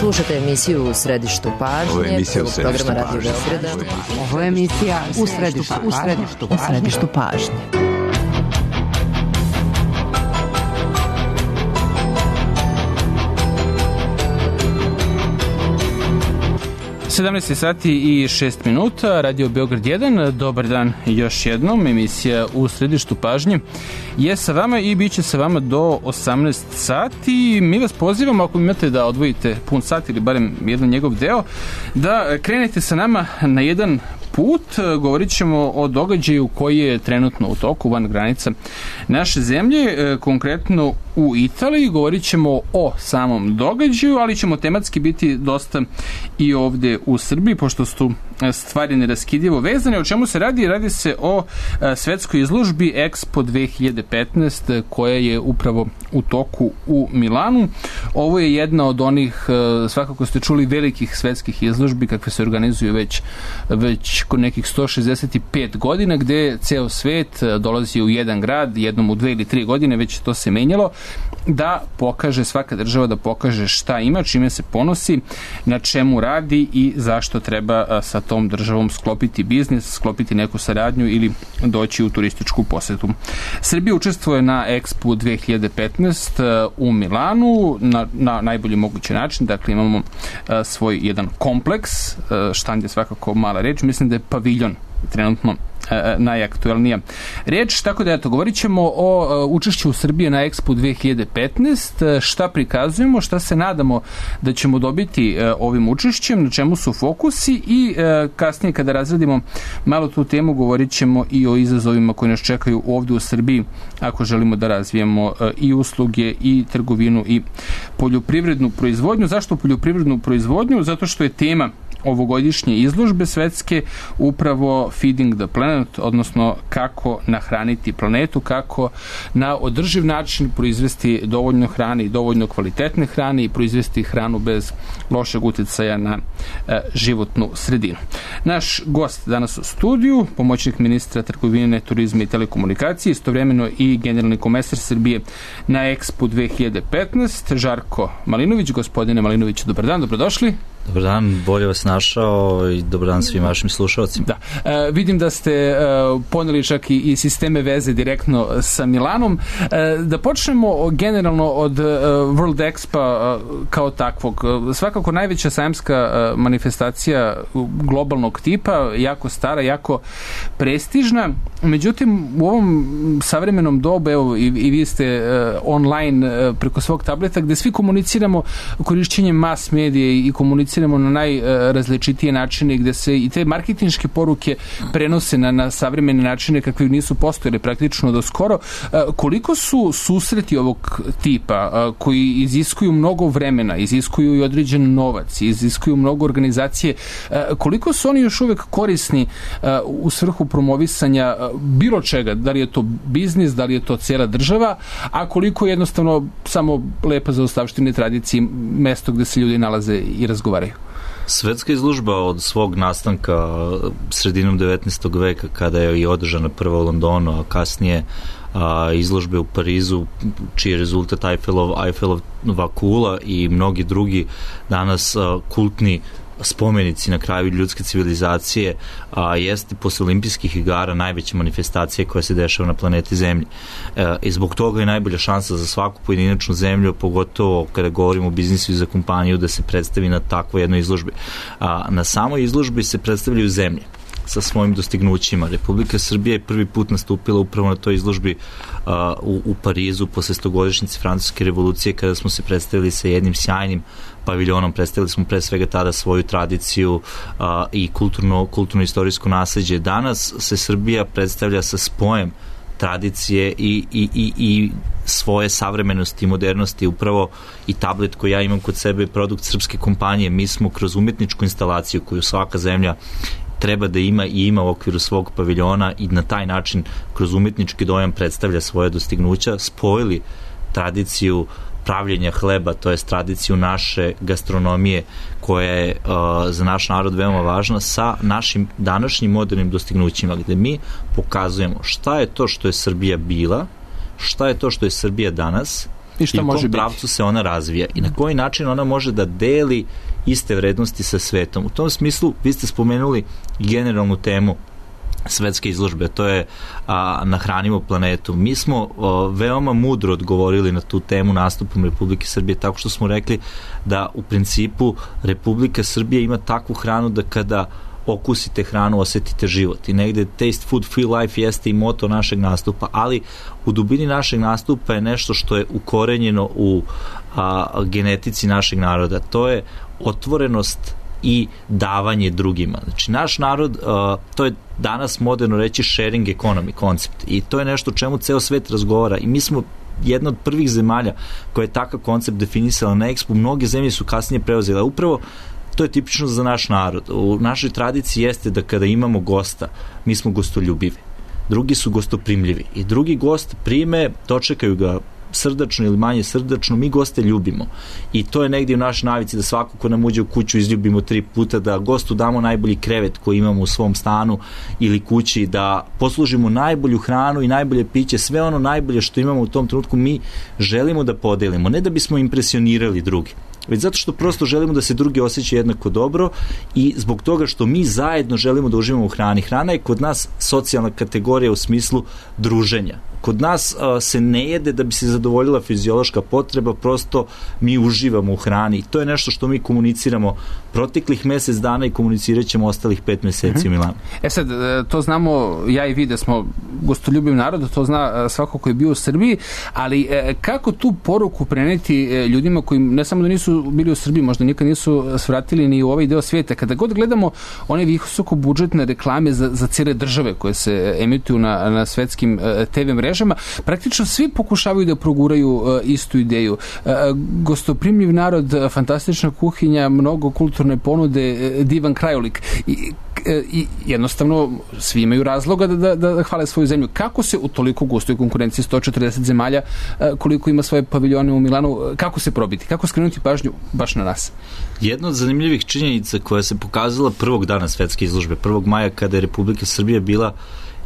Slušate emisiju U središtu pažnje. Ovo je emisija U središtu programa Radio Beograda. Ovo je emisija U središtu pažnje. 17 sati i 6 minuta, Radio Beograd 1, dobar dan još jednom, emisija U središtu pažnje je sa vama i bit će sa vama do 18 sati. Mi vas pozivamo, ako imate da odvojite pun sat ili barem jedan njegov deo, da krenete sa nama na jedan put. Govorit ćemo o događaju koji je trenutno u toku van granica naše zemlje, konkretno u Italiji. Govorit ćemo o samom događaju, ali ćemo tematski biti dosta i ovde u Srbiji, pošto su stvari neraskidivo vezane. O čemu se radi? Radi se o svetskoj izložbi Expo 2015 koja je upravo u toku u Milanu. Ovo je jedna od onih, svakako ste čuli, velikih svetskih izložbi kakve se organizuju već kod nekih 165 godina, gde ceo svet dolazi u jedan grad, jednom u 2 ili 3 godine, već to se menjalo, da pokaže, svaka država da pokaže šta ima, čime se ponosi, na čemu radi i zašto treba sa tom državom sklopiti biznis, sklopiti neku saradnju ili doći u turističku posetu. Srbija učestvuje na Expo 2015 u Milanu na najbolji mogući način. Dakle, imamo svoj jedan kompleks, štand je svakako mala reč, mislim da je paviljon trenutno najaktuelnija reč, tako da govorit ćemo o učešću Srbije na Expo 2015, šta prikazujemo, šta se nadamo da ćemo dobiti ovim učešćem, na čemu su fokusi i kasnije kada razradimo malo tu temu govorit ćemo i o izazovima koji nas čekaju ovde u Srbiji ako želimo da razvijemo i usluge i trgovinu i poljoprivrednu proizvodnju. Zašto poljoprivrednu proizvodnju? Zato što je tema ovogodišnje izložbe svetske upravo Feeding the Planet, odnosno kako nahraniti planetu, kako na održiv način proizvesti dovoljno hrane i dovoljno kvalitetne hrane i proizvesti hranu bez lošeg uticaja na životnu sredinu. Naš gost danas u studiju, pomoćnik ministra trgovine, turizma i telekomunikacije, istovremeno i generalni komesar Srbije na Expo 2015, Žarko Malinović. Gospodine Malinović, dobar dan, dobrodošli. Dobar dan, bolje vas našao i dobar dan svim vašim slušalcima. Da, vidim da ste poneli čak i sisteme veze direktno sa Milanom. Da počnemo generalno od World Expo kao takvog. Svakako najveća sajamska manifestacija globalnog tipa, jako stara, jako prestižna. Međutim, u ovom savremenom dobu, evo i vi ste online preko svog tableta, gde svi komuniciramo korišćenjem mass medije i komuniciramo na najrazličitije načine, gde se i te marketinške poruke prenose na savremene načine kakve nisu postojele praktično do skoro. Koliko su susreti ovog tipa koji iziskuju mnogo vremena, iziskuju i određen novac, iziskuju mnogo organizacije, koliko su oni još uvek korisni u svrhu promovisanja bilo čega, da li je to biznis, da li je to cijela država, a koliko jednostavno samo lepa zaostavštine tradicije, mesto gde se ljudi nalaze i razgovaraju? Svetska izložba od svog nastanka sredinom 19. veka, kada je i održana prva u Londonu, a kasnije izložbe u Parizu, čiji je rezultat Eiffelova kula i mnogi drugi danas kultni spomenici na kraju ljudske civilizacije, jeste posle olimpijskih igara najveća manifestacija koja se dešava na planeti Zemlji. I zbog toga je najbolja šansa za svaku pojedinačnu zemlju, pogotovo kada govorimo o biznisu i za kompaniju, da se predstavi na takvoj jednoj izložbi. Na samoj izložbi se predstavljaju zemlje sa svojim dostignućima. Republika Srbija je prvi put nastupila upravo na toj izložbi u Parizu posle 100-godišnjice Francuske revolucije, kada smo se predstavili sa jednim sjajnim paviljonom. Predstavili smo pre svega tada svoju tradiciju i kulturno-istorijsko nasleđe. Danas se Srbija predstavlja sa spojem tradicije i svoje savremenosti i modernosti. Upravo i tablet koji ja imam kod sebe je produkt srpske kompanije. Mi smo kroz umetničku instalaciju koju svaka zemlja treba da ima i ima u okviru svog paviljona i na taj način kroz umetnički dojam predstavlja svoje dostignuća, spojili tradiciju pravljenja hleba, to je tradiciju naše gastronomije koja je za naš narod veoma važna, sa našim današnjim modernim dostignućima, gde mi pokazujemo šta je to što je Srbija bila, šta je to što je Srbija danas I u kom pravcu se ona razvija i na koji način ona može da deli iste vrednosti sa svetom. U tom smislu vi ste spomenuli generalnu temu svetske izložbe, to je Nahranimo planetu. Mi smo veoma mudro odgovorili na tu temu nastupom Republike Srbije, tako što smo rekli da u principu Republika Srbija ima takvu hranu da kada okusite hranu, osetite život. I negde taste food, feel life jeste i moto našeg nastupa, ali u dubini našeg nastupa je nešto što je ukorenjeno u genetici našeg naroda. To je otvorenost i davanje drugima. Znači, naš narod, to je danas moderno reći sharing economy koncept i to je nešto o čemu ceo svet razgovara i mi smo jedna od prvih zemalja koja je takav koncept definisala na Expo. Mnoge zemlje su kasnije preuzele. Upravo to je tipično za naš narod. U našoj tradiciji jeste da kada imamo gosta, mi smo gostoljubivi. Drugi su gostoprimljivi i drugi gost prime, dočekaju ga srdačno ili manje srdačno, mi goste ljubimo. I to je negdje u našoj navici da svako ko nam uđe u kuću izljubimo 3 puta, da gostu damo najbolji krevet koji imamo u svom stanu ili kući, da poslužimo najbolju hranu i najbolje piće, sve ono najbolje što imamo u tom trenutku mi želimo da podelimo, ne da bismo impresionirali drugi, već zato što prosto želimo da se drugi osjećaju jednako dobro i zbog toga što mi zajedno želimo da uživamo u hrani. Hrana je kod nas socijalna kategorija u smislu druženja. Kod nas se ne jede da bi se zadovoljila fiziološka potreba, prosto mi uživamo u hrani i to je nešto što mi komuniciramo proteklih mesec dana i komunicirat ćemo ostalih 5 meseci u Milanu. Sad, to znamo ja i vi da smo gostoljubiv narod, to zna svako ko je bio u Srbiji, ali kako tu poruku preneti ljudima koji ne samo da nisu bili u Srbiji, možda nikad nisu svratili ni u ovaj deo svijeta. Kada god gledamo one visoko budžetne reklame za cijele države koje se emituju na svetskim TV mrežama, praktično svi pokušavaju da proguraju istu ideju. Gostoprimljiv narod, fantastična kuhinja, mnogo kulturne ponude, divan krajolik. I jednostavno svi imaju razloga da hvale svoju zemlju. Kako se u toliko gustoj konkurenciji 140 zemalja, koliko ima svoje paviljone u Milanu, kako se probiti? Kako skrenuti pažnju baš na nas? Jedna od zanimljivih činjenica koja se pokazala prvog dana svetske izložbe, 1. maja, kada je Republika Srbija bila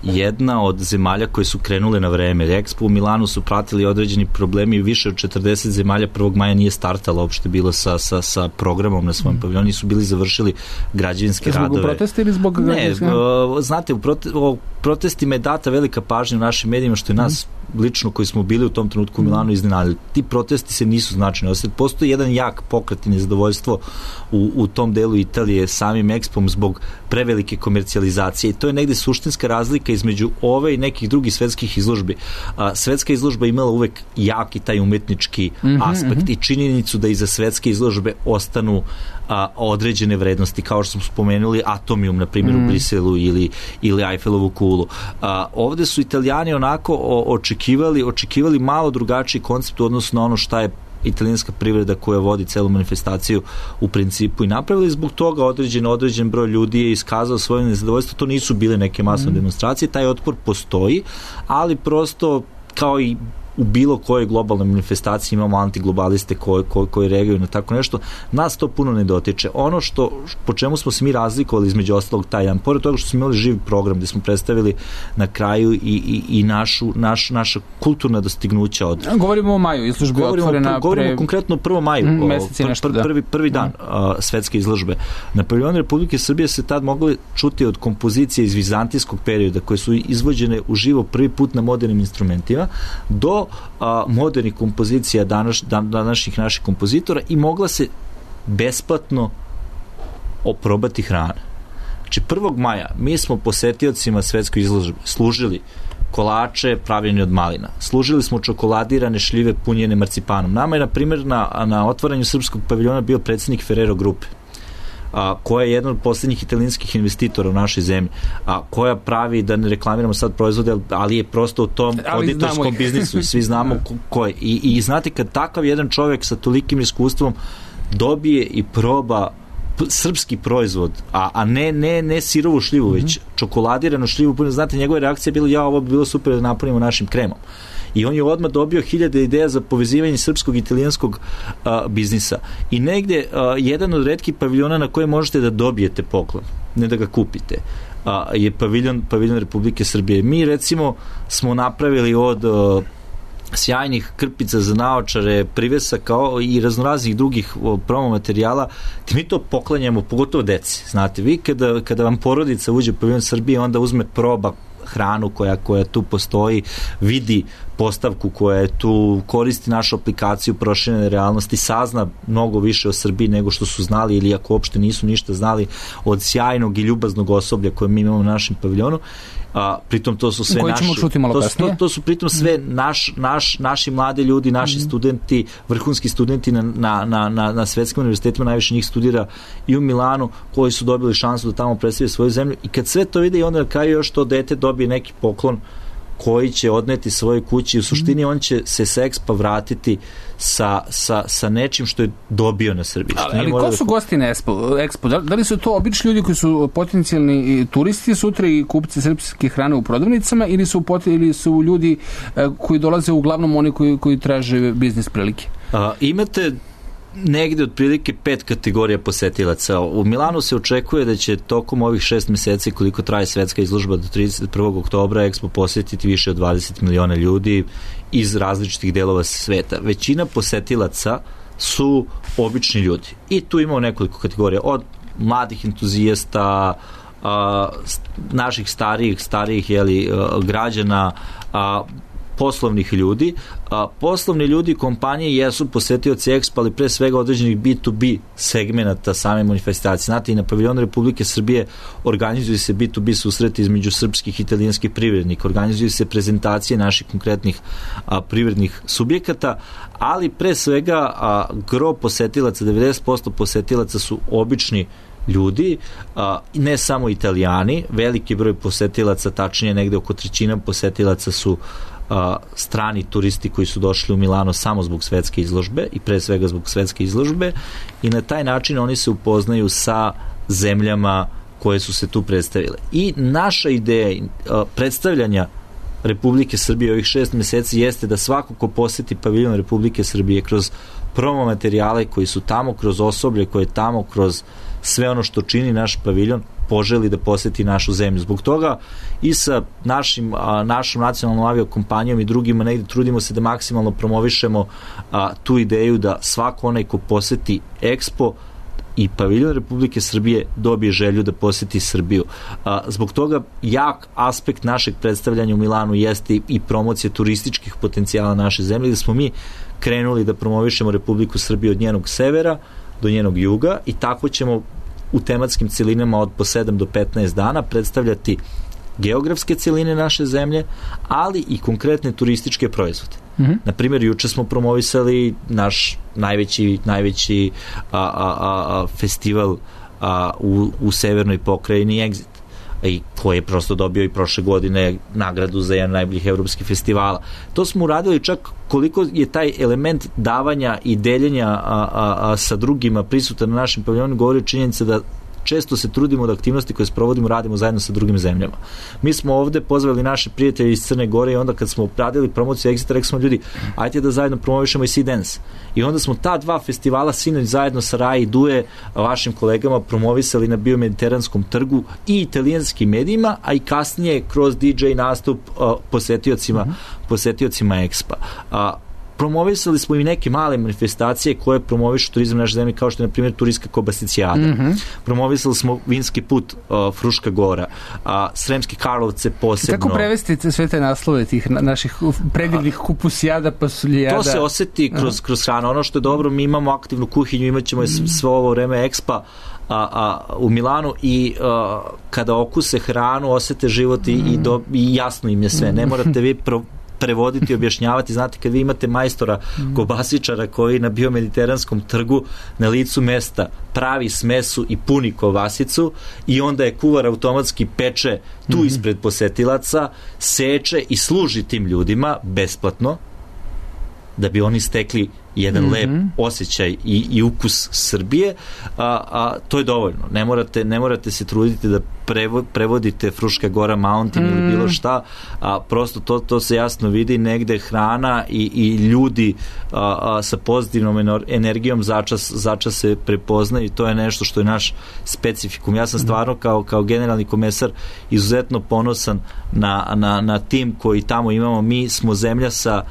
jedna od zemalja koje su krenule na vreme. Expo u Milanu su pratili određeni problemi i više od 40 zemalja 1. maja nije startalo uopšte bilo sa programom na svojom paviljonu, su bili završili građevinske radove. Zbog protesta ili zbog... Ne, znate, u protestima je data velika pažnja u našim medijima, što je nas lično koji smo bili u tom trenutku u Milanu iznenadili. Ti protesti se nisu značajni. Postoji jedan jak pokret i nezadovoljstvo u tom delu Italije samim Expom zbog prevelike komercijalizacije i to je negde suštinska razlika između ove i nekih drugih svetskih izložbi. Svetska izložba imala uvek jak i taj umetnički aspekt i činjenicu da iza svetske izložbe ostanu određene vrednosti, kao što smo spomenuli Atomium, na primjer, u Briselu ili Eiffelovu kulu. Ovde su Italijani onako očekivali malo drugačiji koncept u odnosu na ono šta je italijanska privreda koja vodi celu manifestaciju u principu i napravili. Zbog toga određen broj ljudi je iskazao svoje nezadovoljstvo. To nisu bile neke masne demonstracije, taj otpor postoji, ali prosto kao i u bilo kojoj globalnoj manifestaciji imamo antiglobaliste koji reaguju na tako nešto. Nas to puno ne dotiče. Ono po čemu smo se mi razlikovali između ostalog taj dan, pored toga što smo imali živi program gde smo predstavili na kraju i naša kulturna dostignuća od... Govorimo o maju, izložbe otvorena Govorimo konkretno o 1. maju, prvi dan svetske izložbe. Na paviljonu Republike Srbije se tad mogli čuti od kompozicije iz vizantijskog perioda koje su izvođene uživo prvi put na modernim instrumentima do modernih kompozicija današnjih naših kompozitora i mogla se besplatno oprobati hrana. Znači 1. maja mi smo posetiocima svetskoj izložbe služili kolače pravljeni od malina. Služili smo čokoladirane šljive punjene marcipanom. Nama je, na primjer, na otvaranju srpskog paviljona bio predsjednik Ferrero grupe, koja je jedna od posljednjih italijanskih investitora u našoj zemlji, koja pravi, da ne reklamiramo sad proizvode, ali je prosto u tom auditorskom biznisu i svi znamo ko je. I znate, kad takav jedan čovjek sa tolikim iskustvom dobije i proba srpski proizvod, a ne sirovu šljivu, već čokoladiranu šljivu, znate, njegova reakcija je bila, ovo bi bilo super da napunimo našim kremom. I on je odmah dobio 1000 ideja za povezivanje srpskog i italijanskog biznisa. I negde jedan od retkih paviljona na koje možete da dobijete poklon, ne da ga kupite, je paviljon Republike Srbije. Mi, recimo, smo napravili od sjajnih krpica za naočare, privesaka i raznoraznih drugih promo materijala, mi to poklanjamo pogotovo deci. Znate, vi kada vam porodica uđe u paviljon Srbije, onda uzme proba hranu koja tu postoji, vidi postavku koja je tu, koristi našu aplikaciju proširene realnosti, sazna mnogo više o Srbiji nego što su znali ili ako uopšte nisu ništa znali od sjajnog i ljubaznog osoblja koje mi imamo u našem paviljonu. Pritom to su sve to su pritom sve naši mladi ljudi, naši studenti, vrhunski studenti na svetskim univerzitetima, najviše njih studira i u Milanu, koji su dobili šansu da tamo predstavljaju svoju zemlju, i kad sve to vide i onda na kraju još to dete dobije neki poklon koji će odneti svoje kući, u suštini on će se sa Expa vratiti sa nečim što je dobio na Srbiji. Ali ko su gosti na Expo? Da li su to obični ljudi koji su potencijalni turisti sutra i kupci srpske hrane u prodavnicama, ili su ljudi koji dolaze uglavnom oni koji traže biznis prilike? Imate negde otprilike 5 kategorija posetilaca. U Milanu se očekuje da će tokom ovih 6 meseci koliko traje svetska izložba do 31. oktobra Expo posetiti više od 20 miliona ljudi iz različitih delova sveta. Većina posetilaca su obični ljudi. I tu imamo nekoliko kategorija. Od mladih entuzijasta, naših starijih građana, poslovnih ljudi. Poslovni ljudi kompanije jesu posetioci Expo, ali pre svega određenih B2B segmenata same manifestacije. Znate, i na paviljonu Republike Srbije organizuju se B2B susreti između srpskih i italijanskih privrednika, organizuju se prezentacije naših konkretnih privrednih subjekata, ali pre svega gro posetilaca, 90% posetilaca su obični ljudi, ne samo Italijani, veliki broj posetilaca, tačnije negde oko 1/3 posetilaca su strani turisti koji su došli u Milano samo zbog svetske izložbe i pre svega zbog svetske izložbe, i na taj način oni se upoznaju sa zemljama koje su se tu predstavile. I naša ideja predstavljanja Republike Srbije ovih 6 meseci jeste da svako ko poseti paviljon Republike Srbije kroz promo materijale koji su tamo, kroz osoblje koje je tamo, kroz sve ono što čini naš paviljon, poželi da poseti našu zemlju. Zbog toga i sa našom nacionalnom aviokompanijom i drugima negde trudimo se da maksimalno promovišemo tu ideju da svako onaj ko poseti Expo i paviljon Republike Srbije dobije želju da poseti Srbiju. Zbog toga jak aspekt našeg predstavljanja u Milanu jeste i promocija turističkih potencijala naše zemlje, da smo mi krenuli da promovišemo Republiku Srbiju od njenog severa do njenog juga, i tako ćemo u tematskim celinama od po 7 do 15 dana predstavljati geografske celine naše zemlje, ali i konkretne turističke proizvode. Na primjer, juče smo promovisali naš najveći festival u severnoj pokrajini Exit, i koji je prosto dobio i prošle godine nagradu za jedan najboljih evropskih festivala. To smo uradili čak koliko je taj element davanja i deljenja sa drugima prisutan na našem paviljonu, govori činjenica da često se trudimo da aktivnosti koje sprovodimo radimo zajedno sa drugim zemljama. Mi smo ovde pozvali naše prijatelje iz Crne Gore i onda kad smo radili promociju Exita, rekli smo ljudi, ajte da zajedno promovišemo i Sea Dance. I onda smo ta dva festivala sinoć zajedno sa Rai i Duje, vašim kolegama, promovisali na Biomediteranskom trgu i italijanskim medijima, a i kasnije kroz DJ nastup posetiocima Expa. Promovisali smo i neke male manifestacije koje promovišu turizam naše zemlje, kao što je na primjer turistka Kobasicijada. Promovisali smo vinski put Fruška Gora, Sremske Karlovce posebno. Kako prevesti sve te naslove tih naših predivnih kupusijada, pasuljada? To se oseti kroz hranu. Ono što je dobro, mi imamo aktivnu kuhinju, imat ćemo sve ovo vreme Expa u Milanu, i kada okuse hranu, osete život i jasno im je sve. Ne morate vi prevoditi, objašnjavati. Znate, kad vi imate majstora kobasičara koji na Biomediteranskom trgu na licu mesta pravi smesu i puni kobasicu, i onda je kuvar automatski peče tu ispred posetilaca, seče i služi tim ljudima besplatno, da bi oni stekli jedan lep osjećaj i ukus Srbije, to je dovoljno. Ne morate se truditi da prevodite Fruška Gora Mountain ili bilo šta, prosto to se jasno vidi, negde hrana i ljudi sa pozitivnom energijom začas se prepoznaju, i to je nešto što je naš specifikum. Ja sam stvarno kao generalni komesar izuzetno ponosan na tim koji tamo imamo. Mi smo zemlja sa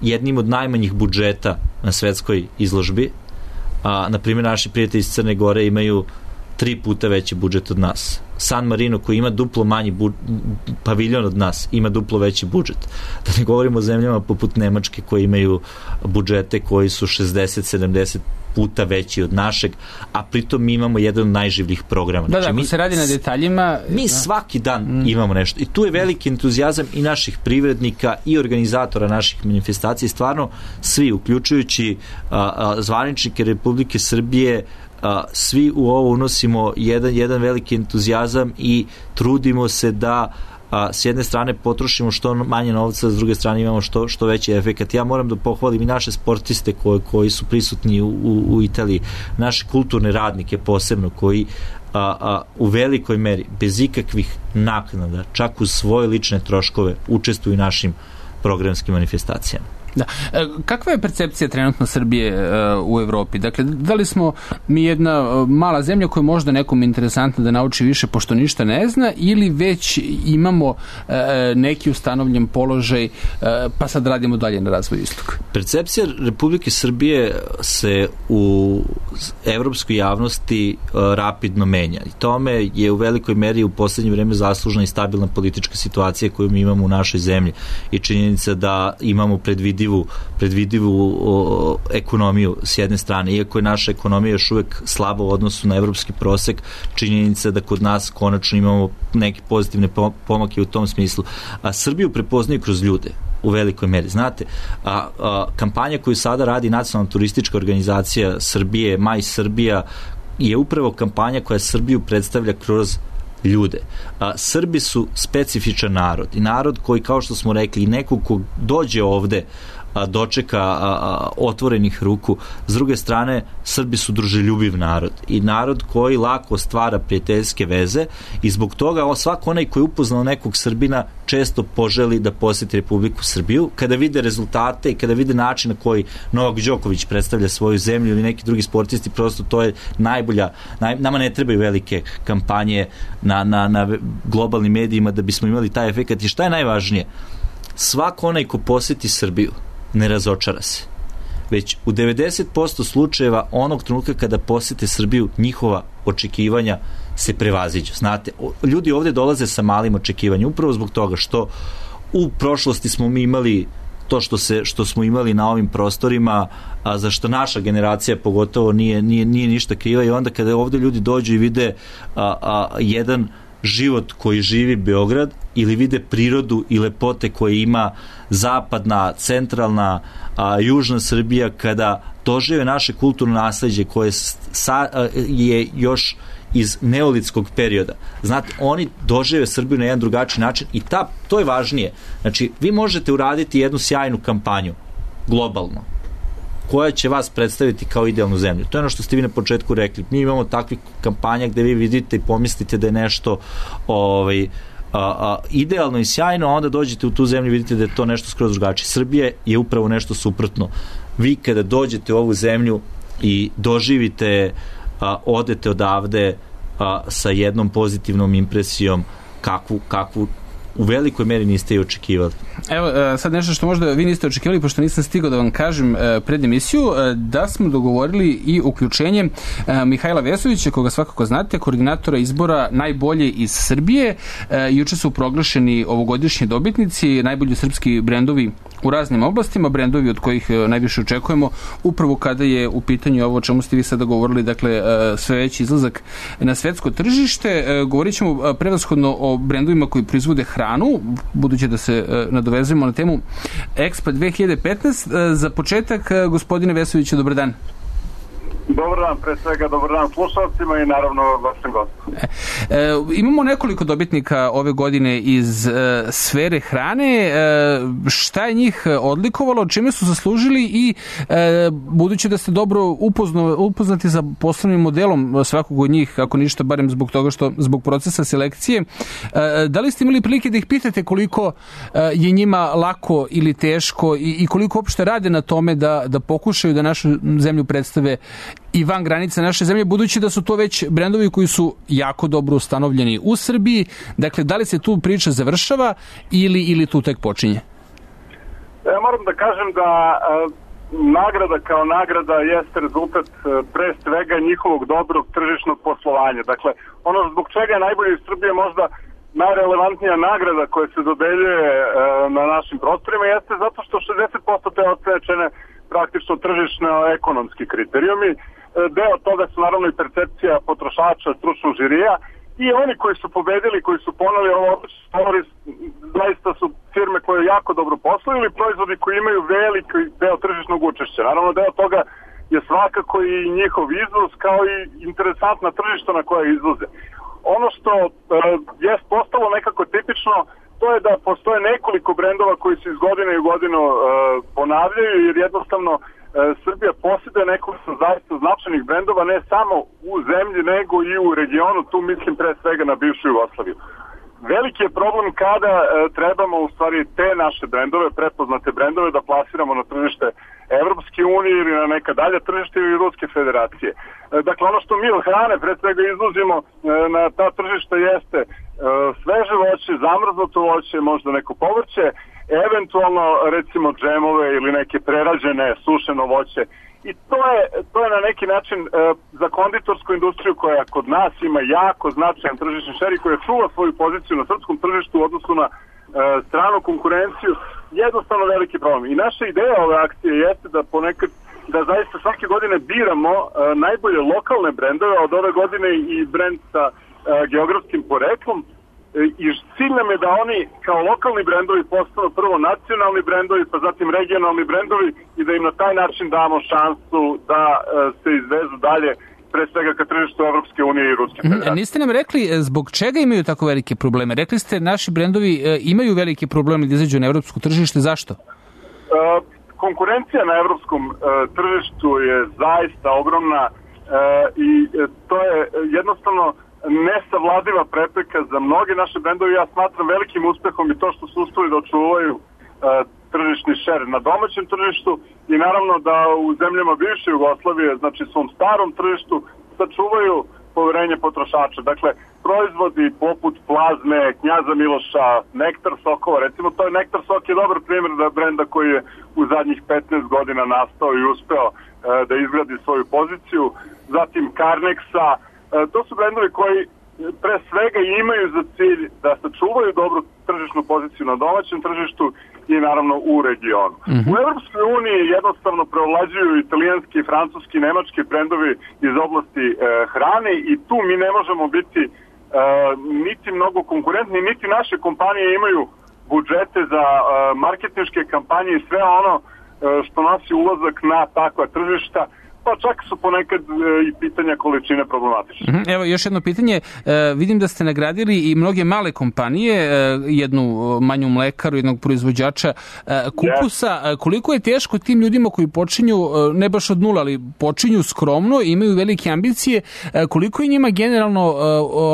jednim od najmanjih budžeta na svetskoj izložbi. Na primjer, naši prijatelji iz Crne Gore imaju 3 puta veći budžet od nas. San Marino, koji ima duplo manji paviljon od nas, ima duplo veći budžet. Da ne govorimo o zemljama poput Nemačke koji imaju budžete koji su 60-70 puta veći od našeg, a pritom mi imamo jedan od najživljih programa. Da, ako se radi na detaljima... Mi svaki dan imamo nešto. I tu je veliki entuzijazam i naših privrednika i organizatora naših manifestacija. Stvarno, svi, uključujući zvaničnike Republike Srbije, svi u ovo unosimo jedan veliki entuzijazam i trudimo se da s jedne strane potrošimo što manje novca, s druge strane imamo što veći efekat. Ja moram da pohvalim i naše sportiste koji su prisutni u Italiji, naše kulturne radnike posebno, koji u velikoj meri, bez ikakvih naknada, čak uz svoje lične troškove, učestvuju u našim programskim manifestacijama. Da. Kakva je percepcija trenutno Srbije u Evropi? Dakle, da li smo mi jedna mala zemlja koja je možda nekom interesantna da nauči više pošto ništa ne zna, ili već imamo neki ustanovljen položaj pa sad radimo dalje na razvoju istoka? Percepcija Republike Srbije se u evropskoj javnosti rapidno menja. I tome je u velikoj meri u poslednje vreme zaslužna i stabilna politička situacija koju mi imamo u našoj zemlji i činjenica da imamo predvidivu ekonomiju s jedne strane. Iako je naša ekonomija još uvek slaba u odnosu na evropski prosek, činjenica da kod nas konačno imamo neke pozitivne pomake u tom smislu. A Srbiju prepoznaju kroz ljude u velikoj meri. Znate, kampanja koju sada radi Nacionalna turistička organizacija Srbije, Maj Srbija, je upravo kampanja koja Srbiju predstavlja kroz ljude. Srbi su specifičan narod i narod koji, kao što smo rekli, i neko ko dođe ovde dočeka otvorenih ruku. S druge strane, Srbi su druželjubiv narod i narod koji lako stvara prijateljske veze i zbog toga svako onaj koji je upoznao nekog Srbina često poželi da poseti Republiku Srbiju. Kada vide rezultate i kada vide način na koji Novak Đoković predstavlja svoju zemlju ili neki drugi sportisti, prosto to je najbolja. Nama ne trebaju velike kampanje na globalnim medijima da bismo imali taj efekat. I šta je najvažnije? Svako onaj ko poseti Srbiju ne razočara se. Već u 90% slučajeva onog trenutka kada posete Srbiju, njihova očekivanja se prevaziđu. Znate, ljudi ovde dolaze sa malim očekivanjem, upravo zbog toga što u prošlosti smo mi imali to što smo imali na ovim prostorima, a za što naša generacija pogotovo nije ništa kriva, i onda kada ovde ljudi dođu i vide jedan život koji živi Beograd ili vide prirodu i lepote koje ima zapadna, centralna, južna Srbija, kada dožive naše kulturno nasleđe koje je još iz neolitskog perioda. Znate, oni dožive Srbiju na jedan drugačiji način i to je važnije. Znači, vi možete uraditi jednu sjajnu kampanju, globalno, koja će vas predstaviti kao idealnu zemlju. To je ono što ste vi na početku rekli. Mi imamo takvih kampanja gde vi vidite i pomislite da je nešto idealno i sjajno, a onda dođete u tu zemlju i vidite da je to nešto skroz drugačije. Srbija je upravo nešto suprotno. Vi kada dođete u ovu zemlju i doživite, odete odavde sa jednom pozitivnom impresijom kakvu u velikoj meri niste i očekivali. Evo, sad nešto što možda vi niste očekivali, pošto nisam stigao da vam kažem pred emisiju, da smo dogovorili i uključenje Mihajla Vesovića, koga svakako znate, koordinatora izbora Najbolje iz Srbije. Juče su proglašeni ovogodišnji dobitnici, najbolji srpski brendovi u raznim oblastima, brendovi od kojih najviše očekujemo, upravo kada je u pitanju ovo o čemu ste vi sada govorili, dakle sve veći izlazak na svetsko tržište. Govorit ćemo prevashodno o brendovima koji proizvode hranu, budući da se nadovezujemo na temu Expo 2015. Za početak, gospodine Vesoviću, dobar dan. Dobar dan, pre svega dobar dan slušalcima i naravno vašem gostu. Imamo nekoliko dobitnika ove godine iz sfere hrane. Šta je njih odlikovalo, čime su zaslužili i budući da ste dobro upoznati sa poslovnim modelom svakog od njih, ako ništa, barem zbog toga što zbog procesa selekcije, da li ste imali prilike da ih pitate koliko je njima lako ili teško i koliko uopšte rade na tome da pokušaju da našu zemlju predstave i van granica naše zemlje, budući da su to već brendovi koji su jako dobro ustanovljeni u Srbiji. Dakle, da li se tu priča završava ili tu tek počinje? Ja moram da kažem da nagrada kao nagrada jeste rezultat pre svega njihovog dobrog tržišnog poslovanja. Dakle, ono zbog čega je najbolje iz Srbije možda najrelevantnija nagrada koja se dodeljuje na našim prostorima jeste zato što 60% te ocene praktično tržišno-ekonomski kriterijumi. Deo toga su naravno i percepcija potrošača, stručnog žirija, i oni koji su pobedili, koji su poneli ovo, zaista su firme koje jako dobro posluju ili proizvodi koji imaju veliki deo tržišnog učešća. Naravno, deo toga je svakako i njihov izvoz, kao i interesantna tržišta na koje izvoze. Ono što je postalo nekako tipično, to je da postoje nekoliko brendova koji se iz godine u godinu ponavljaju, jer jednostavno Srbija posjeduje nekoliko zaista značajnih brendova, ne samo u zemlji, nego i u regionu, tu mislim pre svega na bivšu Jugoslaviju. Veliki je problem kada trebamo u stvari te naše brendove, prepoznate brendove, da plasiramo na tržište Evropske unije ili na neka dalja tržište ili Ruske federacije. Dakle, ono što mi od hrane pre svega izvozimo na ta tržišta jeste sveže voće, zamrznuto voće, možda neko povrće, eventualno recimo džemove ili neke prerađene sušeno voće. I to je na neki način za konditorsku industriju koja kod nas ima jako značajan tržišni šer i koja čuva svoju poziciju na srpskom tržištu u odnosu na stranu konkurenciju, jednostavno veliki problem. I naša ideja ove akcije jeste da ponekad, da zaista svake godine biramo najbolje lokalne brendove, od ove godine i brend sa geografskim poreklom, i cilj nam je da oni kao lokalni brendovi postanu prvo nacionalni brendovi, pa zatim regionalni brendovi i da im na taj način damo šansu da se izvezu dalje, pre svega ka tržištu Evropske unije i Ruske federacije. Niste nam rekli zbog čega imaju tako velike probleme? Rekli ste naši brendovi imaju velike probleme da izađu na evropsko tržište, zašto? Konkurencija na evropskom tržištu je zaista ogromna i to je jednostavno nesavladiva prepreka za mnoge naše brendove. Ja smatram velikim uspehom i to što su uspeli da očuvaju tržišni šer na domaćem tržištu i naravno da u zemljama bivše Jugoslavije, znači svom starom tržištu, sačuvaju poverenje potrošača. Dakle, proizvodi poput plazme, Knjaza Miloša, Nektar sokova, recimo to je Nektar sok je dobar primjer da brenda koji je u zadnjih 15 godina nastao i uspeo da izgradi svoju poziciju. Zatim Carnexa, to su brendovi koji pre svega imaju za cilj da sačuvaju dobru tržišnu poziciju na domaćem tržištu i naravno u regionu. U Evropskoj uniji jednostavno preovlađuju italijanski, francuski, nemački brendovi iz oblasti hrane i tu mi ne možemo biti niti mnogo konkurentni, niti naše kompanije imaju budžete za marketinške kampanje i sve ono što nosi ulazak na takva tržišta, pa čak su ponekad i pitanja količine problematične. Evo još jedno pitanje. Vidim da ste nagradili i mnoge male kompanije, jednu manju mlekaru, jednog proizvođača kupusa. Koliko je teško tim ljudima koji počinju, ne baš od nula, ali počinju skromno, imaju velike ambicije, koliko je njima generalno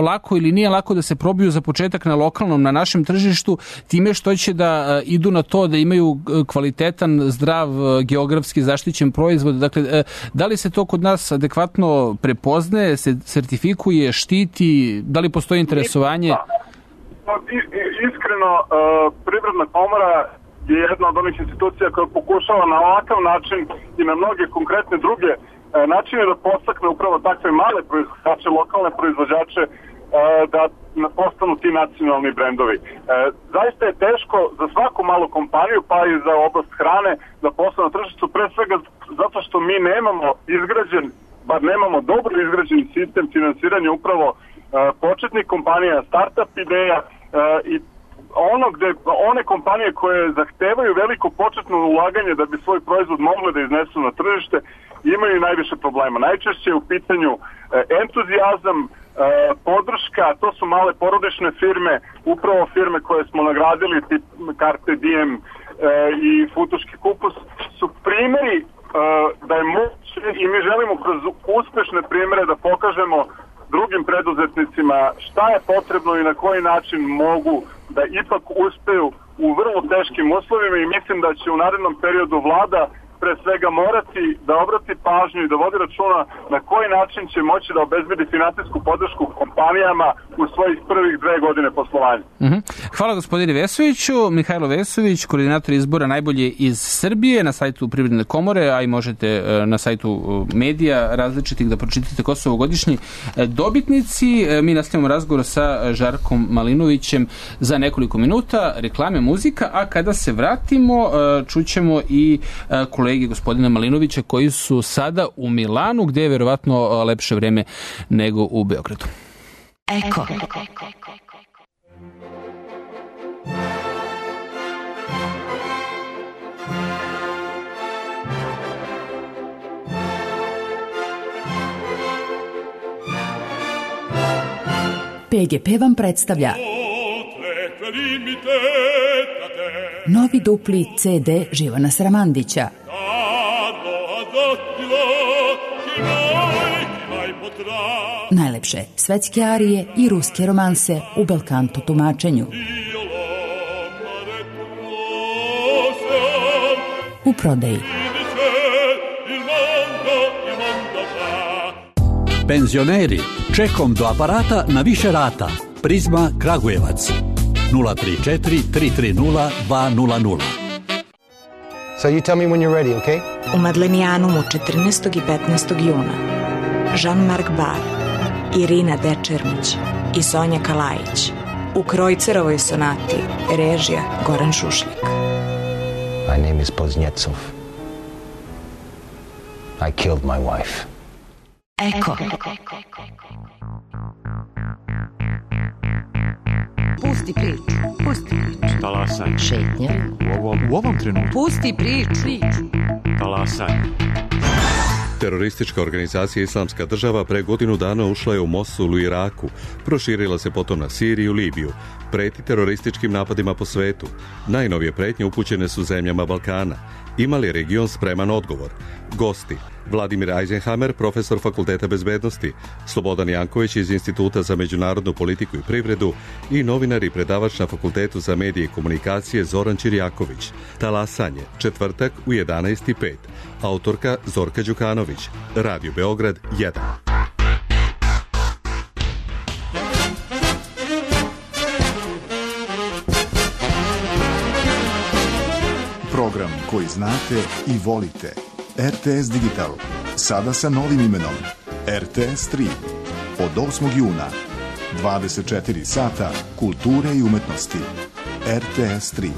lako ili nije lako da se probiju za početak na lokalnom, na našem tržištu, time što će da idu na to da imaju kvalitetan, zdrav, geografski zaštićen proizvod. Dakle, da li se to kod nas adekvatno prepoznaje, se sertifikuje, štiti, da li postoji interesovanje? Iskreno, Privredna komora je jedna od onih institucija koja pokušava na ovakav način i na mnoge konkretne druge načine da podstakne upravo takve male proizvođače, lokalne proizvođače da postanu ti nacionalni brendovi. Zaista je teško za svaku malu kompaniju, pa i za oblast hrane, da postane na tržištu, pre svega zato što mi nemamo izgrađen, bar nemamo dobro izgrađen sistem finansiranja upravo početnih kompanija, startup ideja i one kompanije koje zahtevaju veliko početno ulaganje da bi svoj proizvod mogli da iznesu na tržište, imaju najviše problema. Najčešće je u pitanju entuzijazam, podrška, to su male porodične firme, upravo firme koje smo nagradili, tip Carpe Diem i Futoški kupus, su primjeri da je moguće i mi želimo kroz uspešne primjere da pokažemo drugim preduzetnicima šta je potrebno i na koji način mogu da ipak uspeju u vrlo teškim uslovima i mislim da će u narednom periodu vlada pre svega morati da obrati pažnju i da vodi računa na koji način će moći da obezbedi finansijsku podršku kompanijama u svojih prvih 2 godine poslovanja. Hvala gospodine Vesoviću. Mihajlo Vesović, koordinator izbora Najbolje iz Srbije na sajtu Privredne komore, a i možete na sajtu medija različitih da pročitate ko su ovogodišnji dobitnici. Mi nastavljamo razgovor sa Žarkom Malinovićem za nekoliko minuta, reklame, muzika, a kada se vratimo čućemo i kolege gospodina Malinovića koji su sada u Milanu, gde je verovatno lepše vreme nego u Beogradu. Eko. PGP vam predstavlja novi dupli CD Živana Sramandića. Najlepše svetske arije i ruske romanse u belkanto tumačenju. U prodaji. Penzioneri, čekom do aparata na više rata. Prizma Kragujevac 034 330 200. So you tell me when you're ready, okay? U Madlenijanumu 14. i 15. juna Jean-Marc Bar, Irina Dečermić i Sonja Kalajić u Krojcerovoj sonati, režija Goran Šušljak. My name is Poznjecov. I killed my wife. Eko. Pusti priču. Talasaj. Šetnja. U ovom trenutku. Pusti priču. Talasaj. Teroristička organizacija Islamska država pre godinu dana ušla je u Mosul u Iraku, proširila se potom na Siriju i Libiju, preti terorističkim napadima po svetu. Najnovije pretnje upućene su zemljama Balkana. Ima li region spreman odgovor? Gosti: Vladimir Eisenhammer, profesor Fakulteta bezbednosti, Slobodan Janković iz Instituta za međunarodnu politiku i privredu i novinar i predavač na Fakultetu za medije i komunikacije Zoran Čirjaković. Talasanje, četvrtak u 11:05. Autorka Zorka Đukanović. Radio Beograd 1. Program koji znate i volite. RTS Digital. Sada sa novim imenom. RTS 3. Od 8. juna. 24 sata kulture i umetnosti. RTS 3.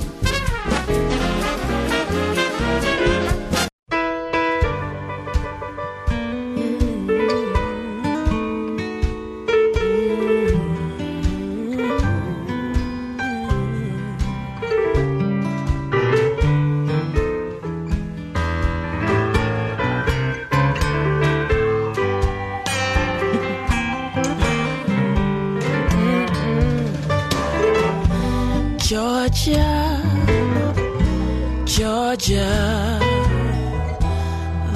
Georgia,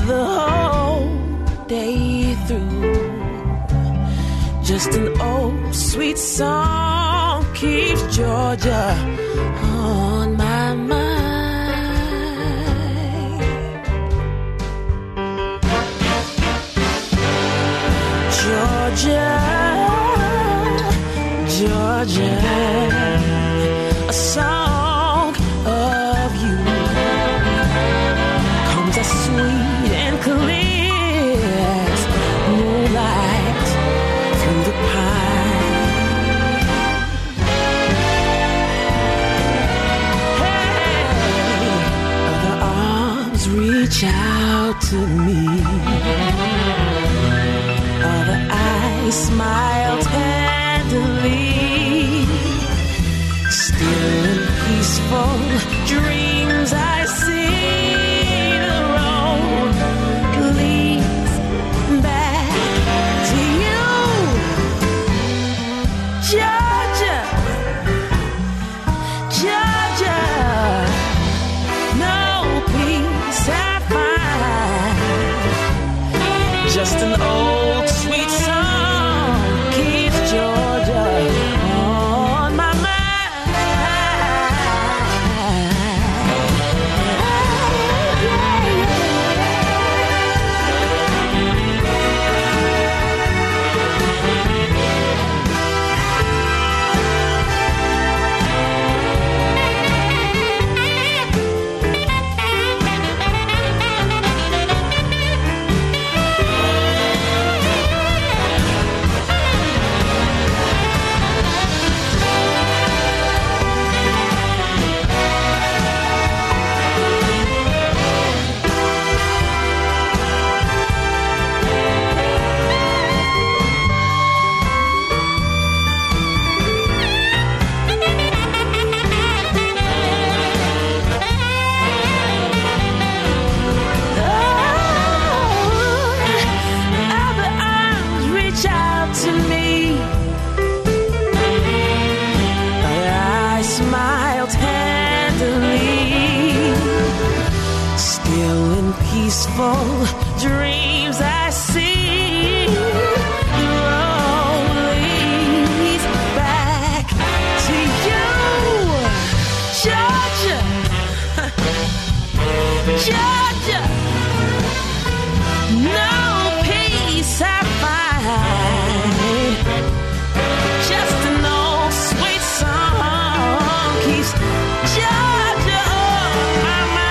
the whole day through. Just an old sweet song keeps Georgia on my mind. Georgia, Georgia, a song of you comes as sweet and clear as moonlight through the pine. Hey, other arms reach out to me, other eyes smile tenderly. Still in peaceful dreams I see the road leads back to you, Georgia, Georgia. No peace I find, just an old sweet song keeps Georgia on my mind. peaceful dreams I see. The road leads back to you, Georgia, Georgia. No peace I find, just an old sweet song keeps Georgia on my mind.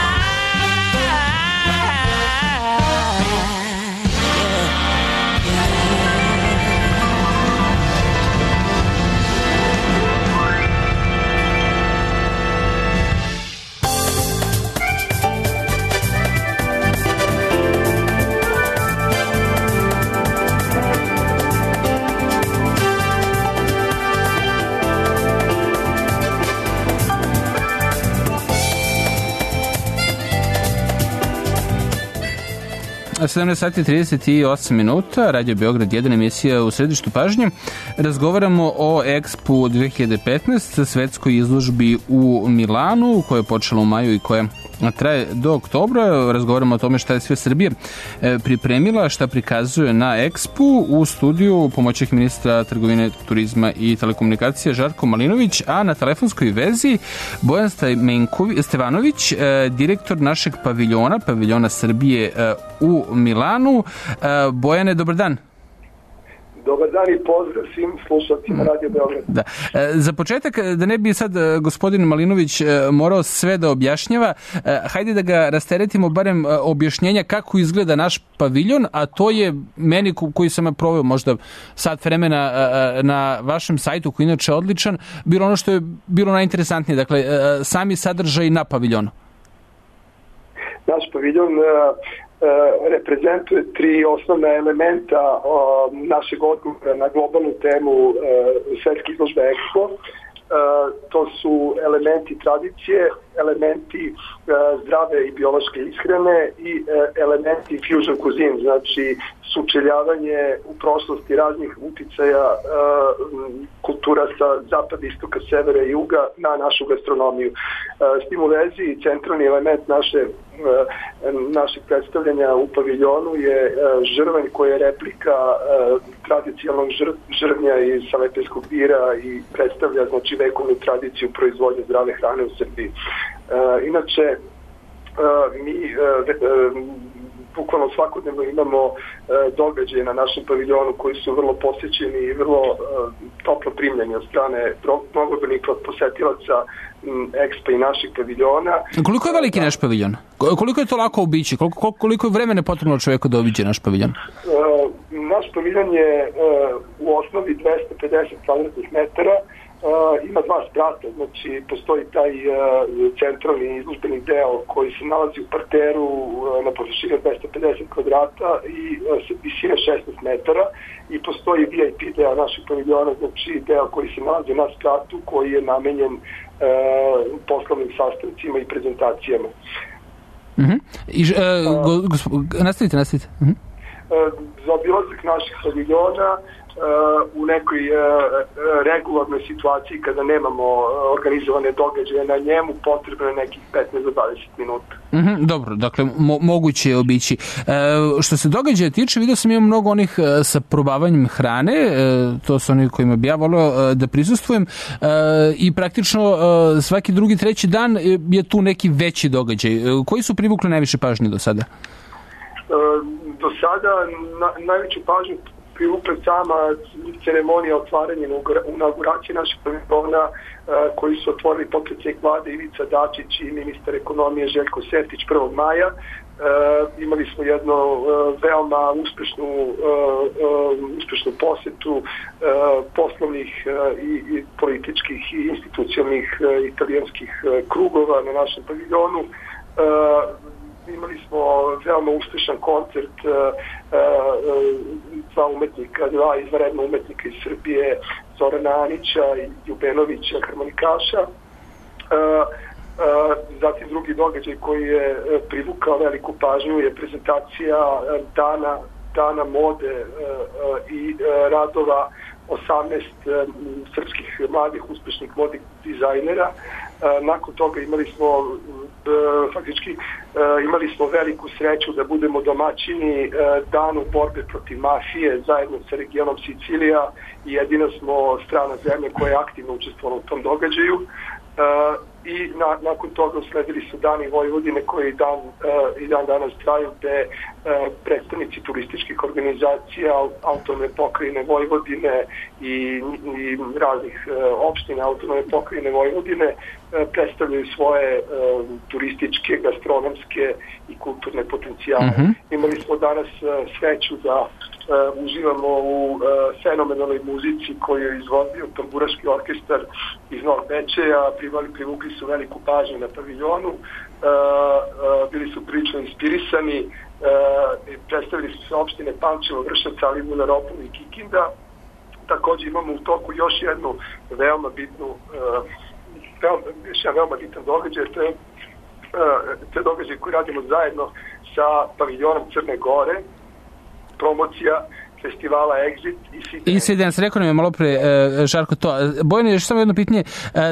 A 17 sati 38 minuta, Radio Beograd 1, emisija u središtu pažnje. Razgovaramo o Expo 2015, svetskoj izložbi u Milanu, koja je počela u maju i koja traje do oktobra. Razgovaramo o tome šta je sve Srbija pripremila, šta prikazuje na Expo. U studiju pomoćnik ministra trgovine, turizma i telekomunikacije Žarko Malinović, a na telefonskoj vezi Bojan Stevanović, direktor našeg paviljona Srbije u Milanu. Bojane, dobar dan. Dobar dan i pozdrav svim slušalcima Radio Beograd. Da. Za početak, da ne bi sad gospodin Malinović morao sve da objašnjava, hajde da ga rasteretimo barem objašnjenja kako izgleda naš paviljon, a to je meni koji sam proveo možda sat vremena na vašem sajtu, koji je inače odličan, bilo ono što je bilo najinteresantnije, dakle sami sadržaj na paviljonu. Naš paviljon reprezentuje tri osnovna elementa našeg odgovora na globalnu temu svetske izložbe Expo. To su elementi tradicije, elementi zdrave i biološke ishrane i elementi fusion cuisine, znači sučeljavanje u prošlosti raznih uticaja kultura sa zapada, istoka, severa i juga na našu gastronomiju. S tim u vezi centralni element našeg predstavljanja u paviljonu je žrvanj koji je replika tradicionalnog žrvnja iz Salepejskog bira i predstavlja znači vekovnu tradiciju proizvodnje zdrave hrane u Srbiji. Inače, mi bukvalno svakodnevno imamo događaje na našem paviljonu koji su vrlo posjećeni i vrlo toplo primljeni od strane mnogobrojnih posetilaca Expo i naših paviljona. Koliko je veliki naš paviljon? Koliko je to lako obići? Koliko je vremena potrebno čovjeku da obiđe naš paviljon? Naš paviljon je u osnovi 250 kvadratnih metara. Ima dva sprata, znači postoji taj centralni izložbeni deo koji se nalazi u parteru na površini od 250 kvadrata i visine 16 metara i postoji VIP deo našeg paviljona, znači deo koji se nalazi na spratu koji je namenjen poslovnim sastancima i prezentacijama. Nastavite. Za obilazak naših paviljona u nekoj regularnoj situaciji kada nemamo organizovane događaje na njemu potrebno je nekih 15 do 20 minuta. Dobro, dakle moguće je obići. Što se događaja tiče, vidio sam imam mnogo onih sa probavanjem hrane, to su oni kojima bi ja volio da prisustvujem i praktično svaki drugi, treći dan je tu neki veći događaj. Koji su privukli najviše pažnje do sada? Do sada najveću pažnju privukla sama ceremonija otvaranja inauguracije našeg paviljona koji su otvorili potpredsjednik vlade Ivica Dačić i ministar ekonomije Željko Sertić 1. maja. Imali smo jednu veoma uspešnu posetu poslovnih i političkih i institucionalnih italijanskih krugova na našem paviljonu. Imali smo veoma uspešan koncert dva izvanredna umetnika iz Srbije, Zorana Anića i Ljubenovića, harmonikaša. Zatim drugi događaj koji je privukao veliku pažnju je prezentacija dana mode i radova 18 srpskih mladih uspešnih modnih dizajnera Nakon toga imali smo veliku sreću da budemo domaćini danu borbe protiv mafije zajedno sa regionom Sicilija i jedina smo strana zemlja koja je aktivno učestvovala u tom događaju. I nakon toga usledili su Dani Vojvodine koji i dan danas traju, gde predstavnici turističkih organizacija autonomne pokrajine Vojvodine i raznih opština autonomne pokrajine Vojvodine predstavljaju svoje turističke, gastronomske i kulturne potencijale. Imali smo danas sreću da uživamo u fenomenalnoj muzici koju je izvodio tamburaški orkestar iz Novog Bečeja, privukli su veliku pažnju na paviljonu, bili su prilično inspirisani, predstavili su se opštine Pančevo, Vršac, Alibunar, Opov i Kikinda. Također imamo u toku još jednu veoma bitan događaj, to je događaj koji radimo zajedno sa paviljonom Crne Gore, promocija festivala Exit i Sidens. Rekao nam je malo pre Žarko to. Bojane, još samo jedno pitanje,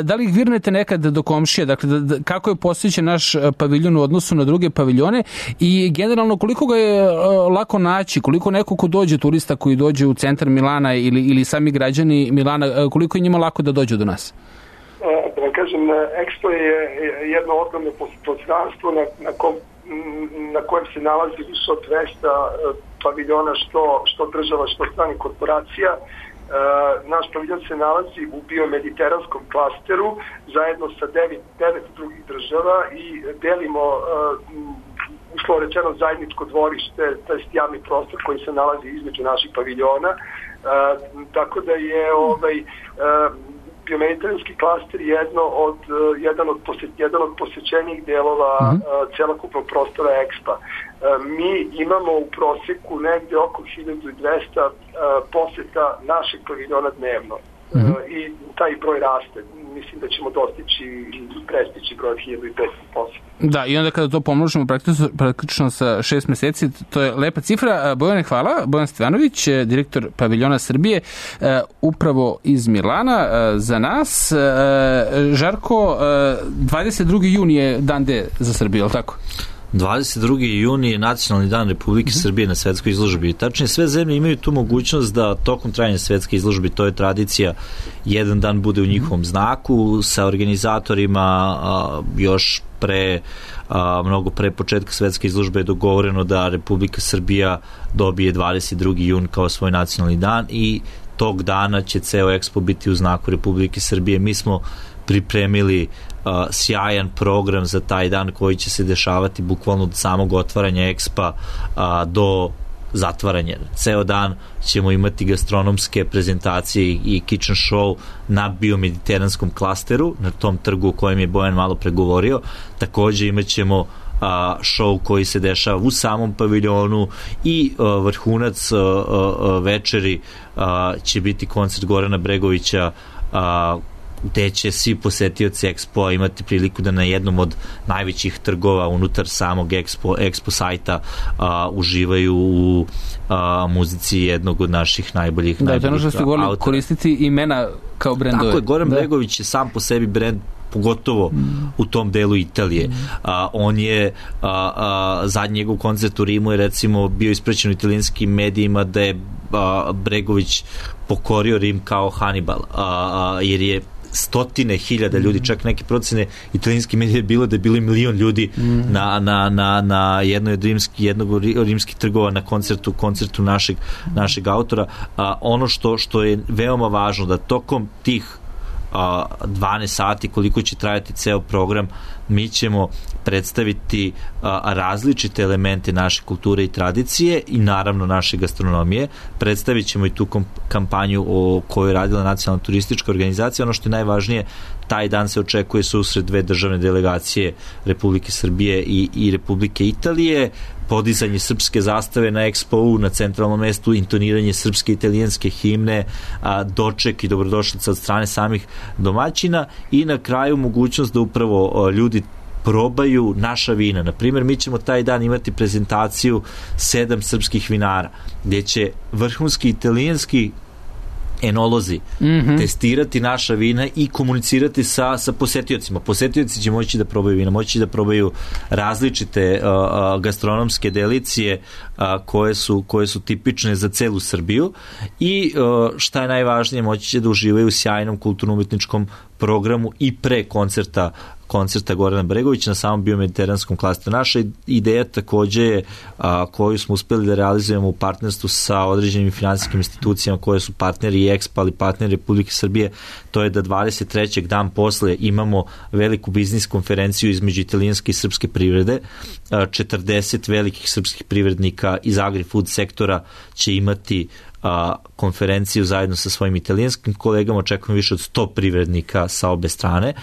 da li ih virnete nekad do komšije, dakle kako je postojeći naš paviljon u odnosu na druge paviljone i generalno koliko ga je lako naći, koliko neko ko dođe, turista koji dođe u centar Milana ili sami građani Milana, koliko je njima lako da dođu do nas? Da vam kažem, Expo je jedno ogromno prostranstvo na kojem se nalazi više od 200 paviljona, što država, što stranih korporacija. Naš paviljon se nalazi u biomediteranskom klasteru zajedno sa 9 drugih država i delimo uslovno rečeno zajedničko dvorište, to je javni prostor koji se nalazi između naših paviljona. Tako da je biomediteranski klaster jedan od posećenijih delova celokupnog prostora Expa. Mi imamo u proseku negde oko 1200 poseta našeg paviljona dnevno. I taj broj raste. Mislim da ćemo prestići broj 1500 poseta. Da, i onda kada to pomnožimo praktično sa 6 meseci, to je lepa cifra. Bojane, hvala. Bojan Stevanović, direktor paviljona Srbije, upravo iz Milana za nas. Žarko, 22. juni je dan D za Srbiju, je li tako? 22. juni je nacionalni dan Republike Srbije na svetskoj izložbi. Tačnije, sve zemlje imaju tu mogućnost da tokom trajanja svetske izložbe, to je tradicija, jedan dan bude u njihovom znaku, sa organizatorima još mnogo pre početka svetske izložbe je dogovoreno da Republika Srbija dobije 22. jun kao svoj nacionalni dan i tog dana će ceo Expo biti u znaku Republike Srbije. Mi smo pripremili sjajan program za taj dan koji će se dešavati bukvalno od samog otvaranja Expa do zatvaranja. Ceo dan ćemo imati gastronomske prezentacije i kitchen show na biomediteranskom klasteru, na tom trgu o kojem je Bojan malo pregovorio. Takođe imat ćemo show koji se dešava u samom paviljonu i vrhunac večeri će biti koncert Gorana Bregovića gde će svi posetioci Expo imati priliku da na jednom od najvećih trgova unutar samog Expo sajta uživaju u muzici jednog od naših najboljih to je ono što ste govorili, koristiti imena kao brendove. Tako je, Goran Bregović je sam po sebi brend, pogotovo u tom delu Italije. On je zadnji njegov koncert u Rimu je recimo bio ispraćen u italijanskim medijima da je Bregović pokorio Rim kao Hannibal, jer je stotine hiljada ljudi, čak neke procene italijanski medije je bilo da je bilo 1 milion ljudi na jednog od rimskih trgova na koncertu našeg autora. Ono što je veoma važno da tokom tih 12 sati koliko će trajati ceo program, mi ćemo predstaviti različite elemente naše kulture i tradicije i naravno naše gastronomije. Predstavit ćemo i tu kampanju o kojoj je radila Nacionalna turistička organizacija. Ono što je najvažnije, taj dan se očekuje susret 2 državne delegacije Republike Srbije i Republike Italije, podizanje srpske zastave na Expo na centralnom mestu, intoniranje srpske i italijanske himne, doček i dobrodošlica od strane samih domaćina i na kraju mogućnost da upravo ljudi probaju naša vina. Naprimjer, mi ćemo taj dan imati prezentaciju 7 srpskih vinara, gdje će vrhunski italijanski enolozi, testirati naša vina i komunicirati sa posetiocima. Posetioci će moći da probaju vina, moći da probaju različite gastronomske delicije koje su tipične za celu Srbiju i šta je najvažnije, moći će da uživaju u sjajnom kulturno-umetničkom programu i pre koncerta Gorana Bregovića na samom biomediteranskom klasteru. Naša ideja takođe je, koju smo uspeli da realizujemo u partnerstvu sa određenim finansijskim institucijama koje su partneri i EXPA, ali partneri Republike Srbije, to je da 23. dan posle imamo veliku biznis konferenciju između italijanske i srpske privrede. 40 velikih srpskih privrednika iz agri-food sektora će imati konferenciju zajedno sa svojim italijanskim kolegama, očekujemo više od 100 privrednika sa obe strane.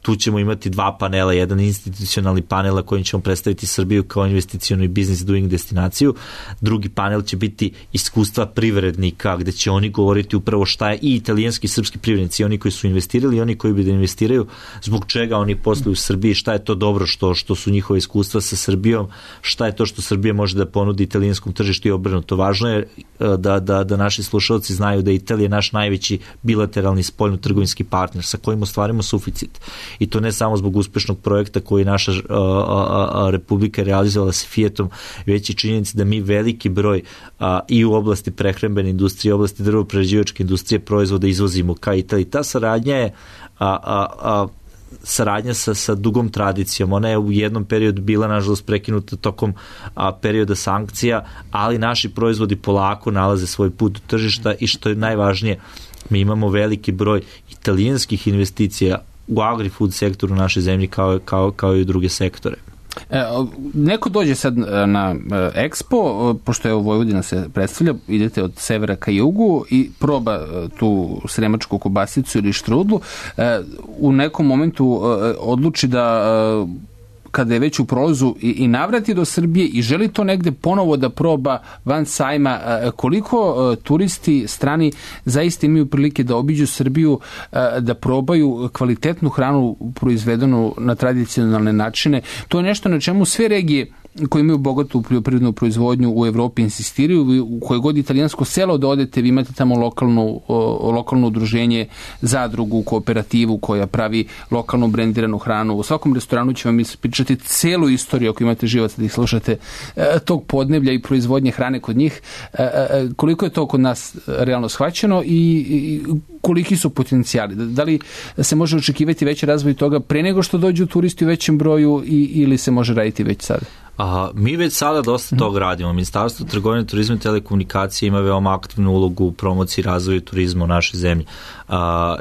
Tu ćemo imati 2 panela, jedan institucionalni panel na kojim ćemo predstaviti Srbiju kao investicionu i business doing destinaciju. Drugi panel će biti iskustva privrednika, gde će oni govoriti upravo šta je i italijanski i srpski privrednici, oni koji su investirali i oni koji bi da investiraju, zbog čega oni posluju u Srbiji, šta je to dobro što su njihove iskustva sa Srbijom, šta je to što Srbija može da ponudi italijanskom tržištu i obrnuto. Važno je da naši slušalci znaju da je Italija naš najveći bilateralni spoljno-trgovinski partner sa kojim ostvarimo suficit. I to ne samo zbog uspešnog projekta koji naša Republika realizovala sa Fiatom, već i činjenica da mi veliki broj i u oblasti prehrambene industrije, u oblasti drvo-prerađivačke industrije proizvoda izvozimo ka Italiji. Ta saradnja je saradnja sa dugom tradicijom. Ona je u jednom periodu bila, nažalost, prekinuta tokom perioda sankcija, ali naši proizvodi polako nalaze svoj put do tržišta i što je najvažnije, mi imamo veliki broj italijanskih investicija u agri-food sektoru naše zemlje kao i u druge sektore. Neko dođe sad na Expo, pošto je Vojvodina se predstavlja, idete od severa ka jugu i proba tu sremačku kobasicu ili štrudlu, u nekom momentu odluči da kada je već u prolazu i navrati do Srbije i želi to negde ponovo da proba van sajma, koliko turisti strani zaista imaju prilike da obiđu Srbiju, da probaju kvalitetnu hranu proizvedenu na tradicionalne načine. To je nešto na čemu sve regije koji imaju bogatu poljoprivrednu proizvodnju u Evropi insistiraju. U koje god italijansko selo da odete, vi imate tamo lokalno udruženje, zadrugu, kooperativu koja pravi lokalno brendiranu hranu. U svakom restoranu će vam ispričati celu istoriju, ako imate živac da ih slušate, tog podneblja i proizvodnje hrane kod njih. Koliko je to kod nas realno shvaćeno i koliki su potencijali? Da li se može očekivati veći razvoj toga pre nego što dođu turisti u većem broju ili se može raditi već sada? Mi već sada dosta toga radimo. Ministarstvo trgovine, turizma i telekomunikacije ima veoma aktivnu ulogu u promociji i razvoju turizma u našoj zemlji.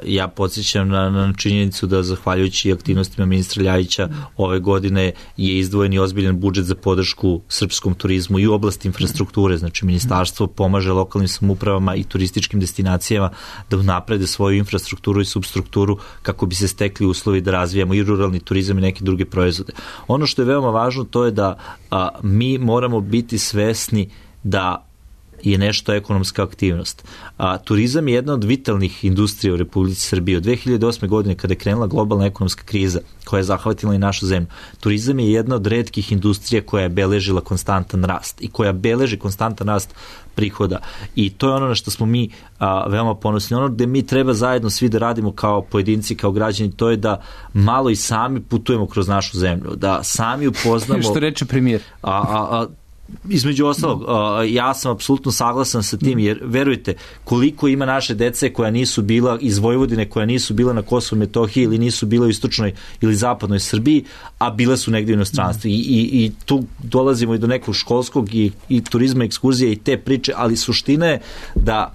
Ja podsjećam na činjenicu da zahvaljujući aktivnostima ministra Ljajića ove godine je izdvojen i ozbiljan budžet za podršku srpskom turizmu i u oblasti infrastrukture. Znači, ministarstvo pomaže lokalnim samoupravama i turističkim destinacijama da unaprede svoju infrastrukturu i substrukturu kako bi se stekli uslovi da razvijamo i ruralni turizam i neke druge proizvode. Ono što je veoma važno, to je da mi moramo biti svesni da je nešto ekonomska aktivnost. Turizam je jedna od vitalnih industrija u Republici Srbiji. Od 2008. godine, kada je krenula globalna ekonomska kriza koja je zahvatila i našu zemlju, turizam je jedna od retkih industrija koja je beležila konstantan rast i koja beleži konstantan rast prihoda. I to je ono na što smo mi veoma ponosni. Ono gde mi treba zajedno svi da radimo kao pojedinci, kao građani, to je da malo i sami putujemo kroz našu zemlju, da sami upoznamo... Što reče premijer? Između ostalog, ja sam apsolutno saglasan sa tim, jer verujte, koliko ima naše dece koja nisu bila iz Vojvodine, koja nisu bila na Kosovu i Metohiji ili nisu bila u istočnoj ili zapadnoj Srbiji, a bila su negdje u inostranstvu. I tu dolazimo i do nekog školskog i turizma, ekskurzije i te priče, ali suština je da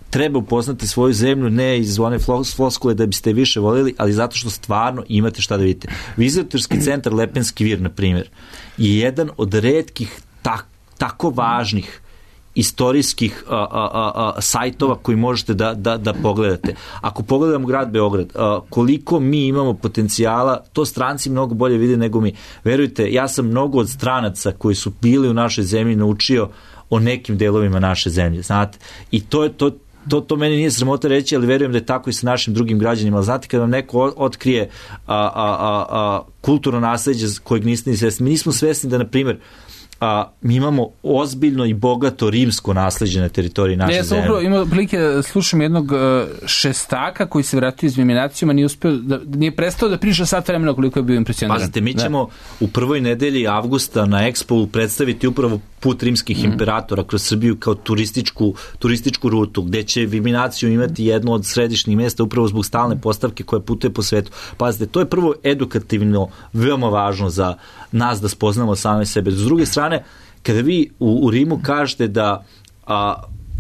treba upoznati svoju zemlju, ne iz one floskule da biste više voljeli, ali zato što stvarno imate šta da vidite. Vizitorski centar Lepenski Vir, na primjer, je jedan od retkih tako važnih istorijskih sajtova koji možete da pogledate. Ako pogledamo grad Beograd, koliko mi imamo potencijala, to stranci mnogo bolje vide nego mi. Verujte, ja sam mnogo od stranaca koji su bili u našoj zemlji naučio o nekim delovima naše zemlje, znate. I to meni nije sramota reći, ali verujem da je tako i sa našim drugim građanima. Znate, kada vam neko otkrije kulturno nasleđe kojeg niste ni svesni, mi nismo svesni da, na primjer, mi imamo ozbiljno i bogato rimsko nasleđe na teritoriji naše zemlje. Ja sam imao prilike slušam jednog šestaka koji se vratio iz Viminacijuma, nije prestao da priča sat vremena koliko je bio impresioniran. Pazite, mi ćemo u prvoj nedelji avgusta na Expo predstaviti upravo put rimskih imperatora kroz Srbiju kao turističku rutu, gde će Viminaciju imati jedno od središnjih mjesta upravo zbog stalne postavke koja putuje po svetu. Pazite, to je prvo edukativno veoma važno za nas da spoznamo same sebe. S druge strane, kada vi u Rimu kažete da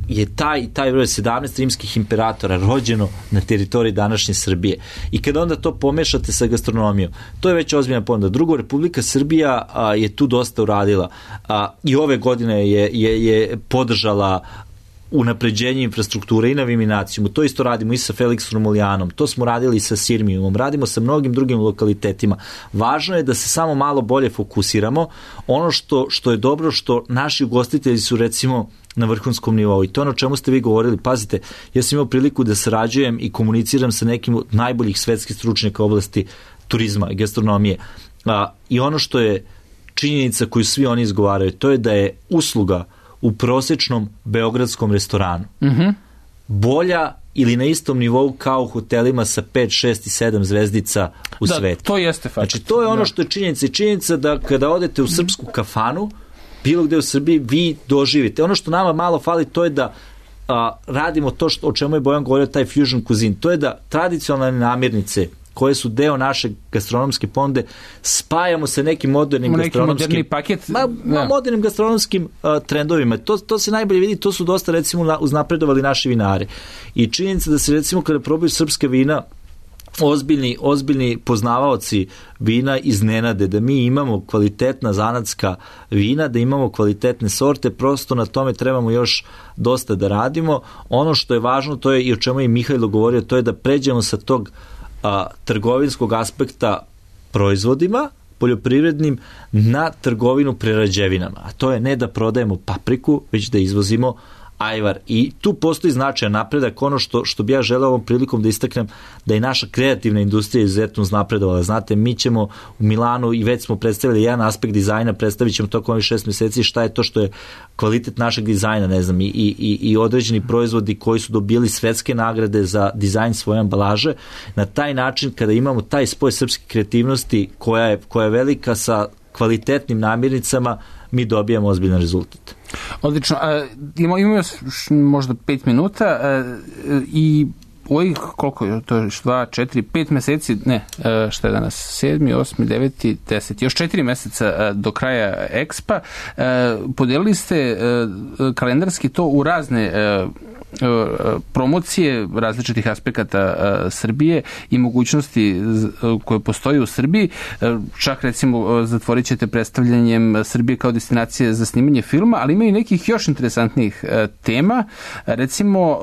je taj broj 17 rimskih imperatora rođeno na teritoriji današnje Srbije i kada onda to pomešate sa gastronomijom, to je već ozbiljna ponuda. Drugo, Republika Srbija je tu dosta uradila i ove godine je podržala unapređenje infrastrukture i na Viminacijumu. To isto radimo i sa Felix Romulijanom, to smo radili i sa Sirmijumom, radimo sa mnogim drugim lokalitetima. Važno je da se samo malo bolje fokusiramo. Ono što je dobro, što naši ugostitelji su recimo na vrhunskom nivou i to ono o čemu ste vi govorili. Pazite, ja sam imao priliku da sarađujem i komuniciram sa nekim od najboljih svetskih stručnjaka u oblasti turizma i gastronomije. I ono što je činjenica koju svi oni izgovaraju, to je da je usluga u prosječnom beogradskom restoranu bolja ili na istom nivou kao u hotelima sa 5, 6 i 7 zvezdica u svetu. To jeste fakt. Znači, to je ono što je činjenica. I činjenica da kada odete u srpsku kafanu, bilo gde u Srbiji, vi doživite. Ono što nama malo fali, to je da radimo to o čemu je Bojan govorio, taj fusion cuisine. To je da tradicionalne namirnice koje su deo naše gastronomske ponude spajamo sa nekim modernim gastronomskim modernim gastronomskim trendovima. To se najbolje vidi, to su dosta recimo uznapredovali naši vinari. I činjenica da se recimo kada probaju srpske vina ozbiljni poznavaoci vina iznenade da mi imamo kvalitetna zanatska vina, da imamo kvalitetne sorte, prosto na tome trebamo još dosta da radimo. Ono što je važno, to je i o čemu je Mihajlo govorio, to je da pređemo sa tog trgovinskog aspekta proizvodima poljoprivrednim na trgovinu prerađevinama. A to je ne da prodajemo papriku, već da izvozimo ajvar. I tu postoji značajan napredak. Ono što bi ja želeo ovom prilikom da istaknem, da je naša kreativna industrija izuzetno uznapredovala. Znate, mi ćemo u Milanu i već smo predstavili jedan aspekt dizajna, predstavit ćemo tokom ovih 6 mjeseci šta je to što je kvalitet našeg dizajna, ne znam, i određeni proizvodi koji su dobili svetske nagrade za dizajn svoje ambalaže. Na taj način, kada imamo taj spoj srpske kreativnosti koja je velika sa kvalitetnim namirnicama, mi dobijamo ozbiljan rezultat. Odlično. Imamo još možda 5 minuta i ovih, koliko je to, 2, 4, 5 meseci, ne, šta je danas, 7, 8, 9, 10, još 4 meseca do kraja Expa, podelili ste kalendarski to u razne promocije različitih aspekata Srbije i mogućnosti koje postoji u Srbiji. Čak recimo zatvorit ćete predstavljanjem Srbije kao destinacije za snimanje filma, ali ima i nekih još interesantnih tema. Recimo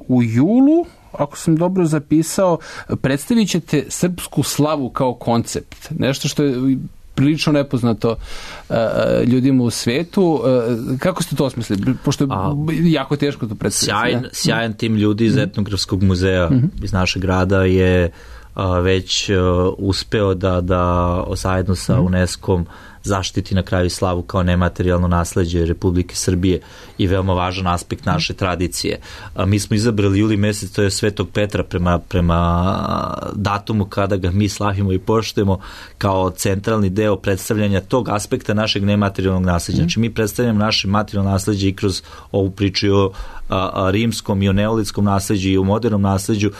u julu, ako sam dobro zapisao, predstavit ćete srpsku slavu kao koncept. Nešto što je prilično nepoznato ljudima u svetu. Kako ste to osmislili? Pošto je jako teško to predstaviti. Sjajan tim ljudi iz Etnografskog muzeja iz našeg grada je već uspeo da zajedno sa UNESCO-om zaštiti na kraju slavu kao nematerijalno nasleđe Republike Srbije i veoma važan aspekt naše tradicije. Mi smo izabrali juli mjesec, to je Svetog Petra prema datumu kada ga mi slavimo i poštujemo kao centralni deo predstavljanja tog aspekta našeg nematerijalnog nasleđa. Znači mi predstavljamo naše materijalno nasleđe i kroz ovu priču o rimskom i o neolitskom nasleđu i o modernom nasleđu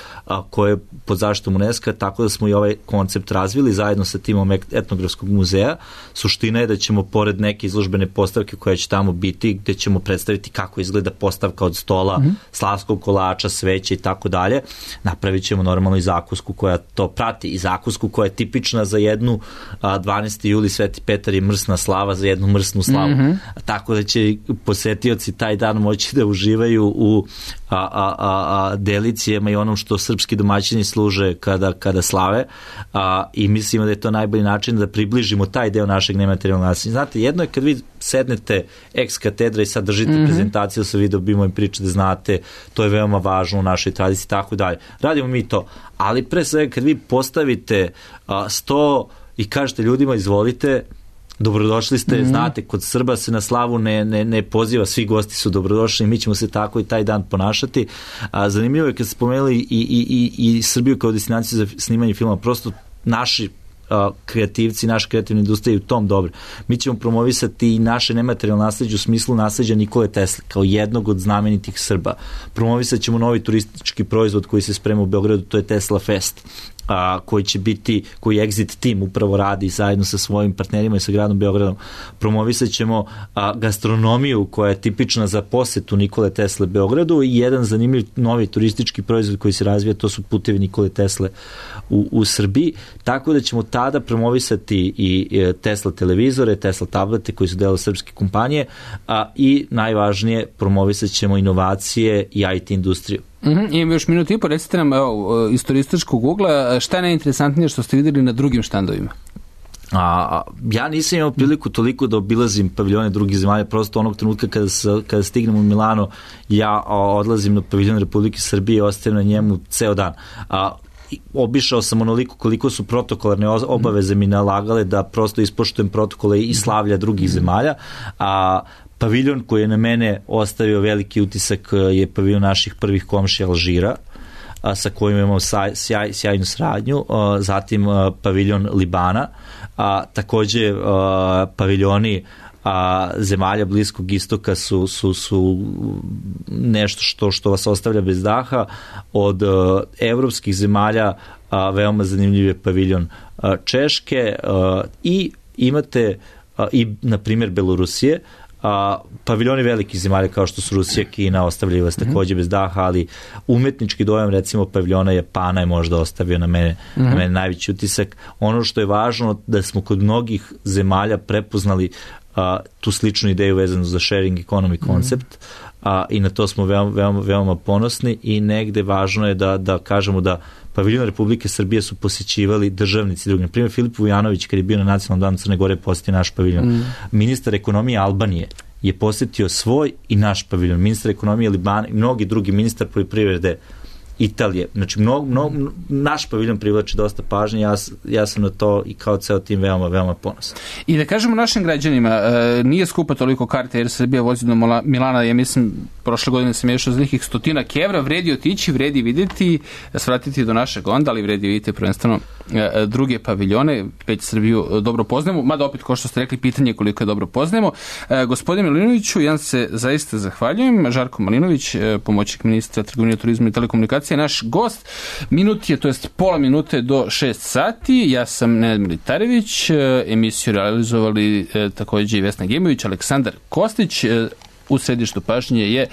koje je pod zaštitom UNESCO, tako da smo i ovaj koncept razvili zajedno sa timom Etnografskog muzeja. Suština je da ćemo pored neke izložbene postavke koja će tamo biti, gde ćemo predstaviti kako izgleda postavka od stola, slavskog kolača, sveće i tako dalje, napravit ćemo normalno i zakusku koja to prati i zakusku koja je tipična za jednu 12. juli Sveti Petar je mrsna slava za jednu mrsnu slavu. Tako da će posetioci taj dan moći da uživaju u delicijama i onom što srpski domaćini služe kada slave i mislimo da je to najbolji način da približimo taj deo našeg nematerijalnog nasleđa. Znate, jedno je kad vi sednete ex katedra i sad držite prezentaciju sa videobimo i pričate, znate, to je veoma važno u našoj tradiciji i tako dalje. Radimo mi to, ali pre svega kad vi postavite 100 i kažete ljudima izvolite, dobrodošli ste, znate, kod Srba se na slavu ne poziva, svi gosti su dobrodošli, mi ćemo se tako i taj dan ponašati. Zanimljivo je kad ste spomenuli i Srbiju kao destinaciju za snimanje filma, prosto naši kreativci, naša kreativna industrija je u tom dobro. Mi ćemo promovisati i naše nematerijalno nasleđe u smislu nasleđa Nikole Tesle, kao jednog od znamenitih Srba. Promovisat ćemo novi turistički proizvod koji se sprema u Beogradu, to je Tesla Fest, koji će biti, koji Exit Team upravo radi zajedno sa svojim partnerima i sa gradom Beogradom. Promovisat ćemo gastronomiju koja je tipična za posetu Nikole Tesle Beogradu i jedan zanimljiv novi turistički proizvod koji se razvija, to su putevi Nikole Tesle u Srbiji, tako da ćemo tada promovisati i Tesla televizore, Tesla tablete koji su delo srpske kompanije, i najvažnije, promovisat ćemo inovacije i IT industriju. Imam još minutu i po, recite nam iz turističkog ugla, šta je najinteresantnije što ste videli na drugim štandovima? Ja nisam imao priliku toliko da obilazim paviljone drugih zemalja, prosto onog trenutka kada stignem u Milano, ja odlazim na paviljon Republike Srbije i ostajem na njemu ceo dan. Obišao sam onoliko koliko su protokolarne obaveze mi nalagale da prosto ispoštujem protokole i slavlja drugih zemalja, paviljon koji je na mene ostavio veliki utisak je paviljon naših prvih komšija Alžira, sa kojim imamo sjajnu saradnju, zatim paviljon Libana, takođe paviljoni zemalja Bliskog istoka su nešto što vas ostavlja bez daha. Od evropskih zemalja veoma zanimljiv je paviljon Češke i imate i na primjer Belorusije. Paviljoni velikih zemalja kao što su Rusija, Kina ostavljaju vas takođe bez daha, ali umetnički dojam recimo paviljona Japana je možda ostavio na mene najveći utisak. Ono što je važno da smo kod mnogih zemalja prepoznali tu sličnu ideju vezanu za sharing economy koncept, i na to smo veoma ponosni i negde važno je da kažemo da paviljon Republike Srbije su posjećivali državnici drugi. Na primjer, Filip Vujanović, kad je bio na Nacionalnom danu Crne Gore, posjetio naš paviljon. Ministar ekonomije Albanije je posjetio svoj i naš paviljon. Ministar ekonomije Libana i mnogi drugi, ministar poljoprivrede Italije. Znači, naš paviljon privlači dosta pažnje, ja sam na to i kao ceo tim veoma ponosan. I da kažemo našim građanima, nije skupa toliko karte jer Srbija vozi do Milana, ja mislim, prošle godine sam ješao za nekih 100 evra, vredi otići, vredi vidjeti, svratiti do našeg onda, ali vredi vidjeti prvenstveno druge paviljone, već Srbiju dobro poznajemo, mada opet, kao što ste rekli, pitanje koliko je dobro poznajemo. Gospodine Malinoviću, ja se zaista zahvaljujem. Žarko Malinović, pomoćnik ministra trgovine, turizma i telekomunikacije, naš gost. Minut je, to jest pola minute do 6 sati. Ja sam Nenad Militarević, emisiju realizovali također i Vesna Gemović, Aleksandar Kostić. U središtu pažnje je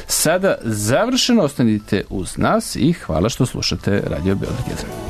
sada završeno. Ostanite uz nas i hvala što slušate Radio Beograd 1.